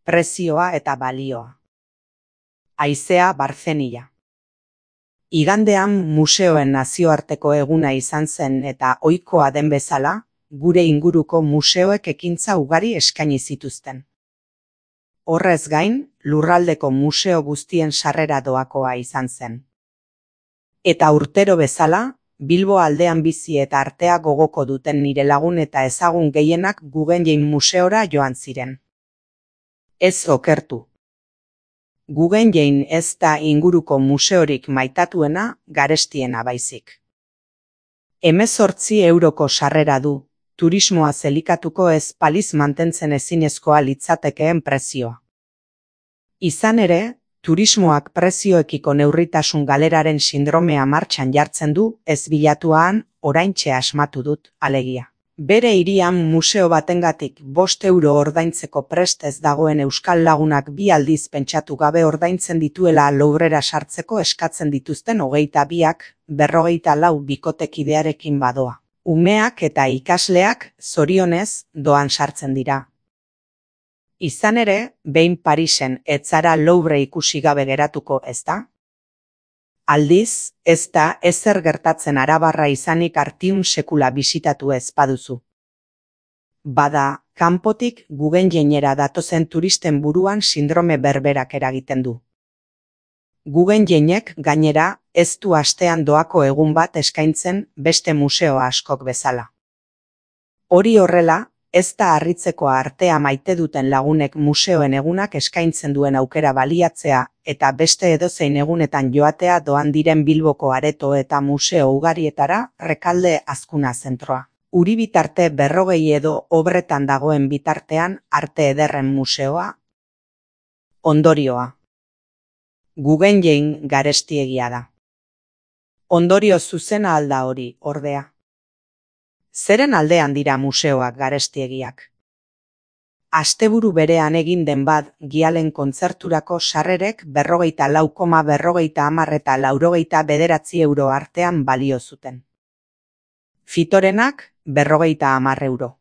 prezioa eta balioa. Haizea Barzenia. Igandean museoen nazioarteko eguna izan zen eta ohikoa den bezala, gure inguruko museoek ekintza ugari eskaini zituzten. Horrez gain, lurraldeko museo guztien sarrera doakoa izan zen. Eta urtero bezala, Bilbo aldean bizi eta artea gogoko duten nire lagun eta ezagun gehienak Guggenheim museora joan ziren. Ez okertu. Guggenheim ez da inguruko museorik maitatuena, garestiena baizik. 18 euroko sarrera du, turismoa zelikatuko ez paliz mantentzen ezinezkoa litzatekeen prezioa. Izan ere, turismoak prezioekiko neurritasun galeraren sindromea martxan jartzen du, ez bilatuan, oraintxe asmatu dut, alegia. Bere hirian museo batengatik 5 euro ordaintzeko prest ez dagoen euskal lagunak 2 aldiz pentsatu gabe ordaintzen dituela Louvrera sartzeko eskatzen dituzten 22ak, 54 bikotekidearekin badoa. Umeak eta ikasleak, zorionez, doan sartzen dira. Izan ere, behin Parisen ez zara Louvre ikusi gabe geratuko, ezta? Aldiz, ez da ezer gertatzen arabarra izanik Artium sekula bisitatu ez baduzu. Bada, kanpotik Guggenheimera datozen turisten buruan sindrome berberak eragiten du. Guggenheimek gainera ez du astean doako egun bat eskaintzen beste museo askok bezala. Hori horrela, ez da harritzeko artea maite duten lagunek museoen egunak eskaintzen duen aukera baliatzea eta beste edozein egunetan joatea doan diren Bilboko areto eta museo ugarietara Rekalde Azkuna zentroa. Uribitarte 40 edo obretan dagoen bitartean Arte Ederren museoa. Ondorioa. Guggenheim garestiegia da. Ondorio zuzena alda hori, ordea. Zeren aldean dira museoak garestiegiak? Asteburu berean egin den bat, Gialen kontzerturako sarrerek 44,50 eta 89 euro artean balio zuten. Fitorenak 50 euro.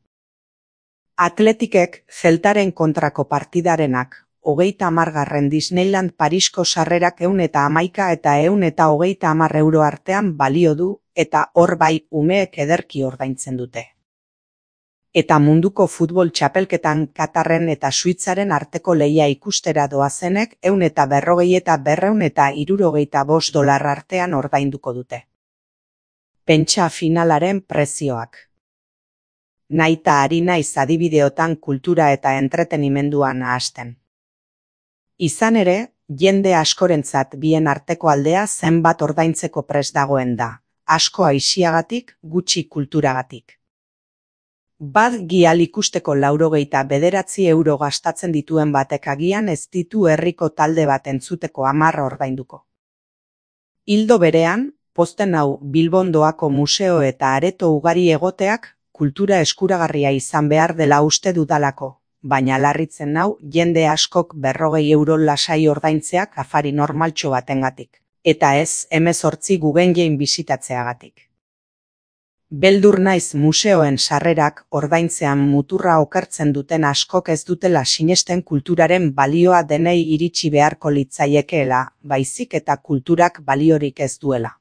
Atletikek Zeltaren kontrako partidarenak 30 Disneyland Parisko sarrerak 111 eta 130 euro artean balio du, eta hor bai umeek ederki ordaintzen dute. Eta munduko futbol txapelketan Katarren eta Suitzaren arteko lehia ikustera doazenek 140 eta 265 dolar artean ordainduko dute. Pentsa finalaren prezioak. Naita ari naiz adibideotan kultura eta entretenimenduan nahasten. Izan ere, jende askorentzat bien arteko aldea zenbat ordaintzeko prest dagoen da. Asko aisiagatik, gutxi kulturagatik. Bat Gial ikusteko 99 euro gastatzen dituen batek agian ez ditu herriko talde bat entzuteko 10 ordainduko. Ildo berean, pozten hau Bilbon doako museo eta areto ugari egoteak kultura eskuragarria izan behar dela uste dudalako, baina larritzen hau jende askok 40 euro lasai ordaintzeak afari normaltxo batengatik. Eta ez 18 Guggenheim bisitatzeagatik. Beldur naiz museoen sarrerak ordaintzean muturra okertzen duten askok ez dutela sinesten kulturaren balioa denei iritsi beharko litzaiekeela, baizik eta kulturak baliorik ez duela.